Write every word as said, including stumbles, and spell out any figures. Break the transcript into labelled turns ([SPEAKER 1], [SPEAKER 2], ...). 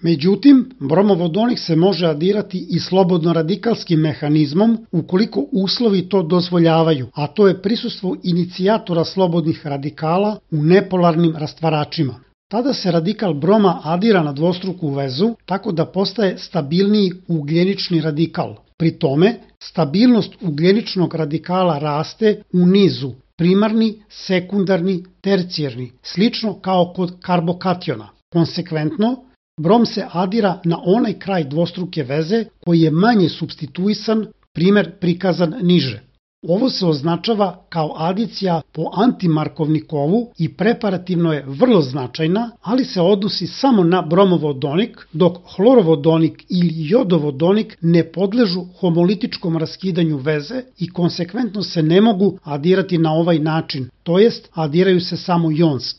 [SPEAKER 1] Međutim, bromovodonik se može adirati i slobodno radikalskim mehanizmom ukoliko uslovi to dozvoljavaju, a to je prisustvo inicijatora slobodnih radikala u nepolarnim rastvaračima. Tada se radikal broma adira na dvostruku vezu tako da postaje stabilniji ugljenični radikal. Pri tome, stabilnost ugljeničnog radikala raste u nizu primarni, sekundarni, tercijerni, slično kao kod karbokationa. Konsekventno, brom se adira na onaj kraj dvostruke veze koji je manje supstituisan, primer prikazan niže. Ovo se označava kao adicija po antimarkovnikovu i preparativno je vrlo značajna, ali se odnosi samo na bromovodonik, dok hlorovodonik ili jodovodonik ne podležu homolitičkom raskidanju veze i konsekventno se ne mogu adirati na ovaj način, to jest adiraju se samo jonski.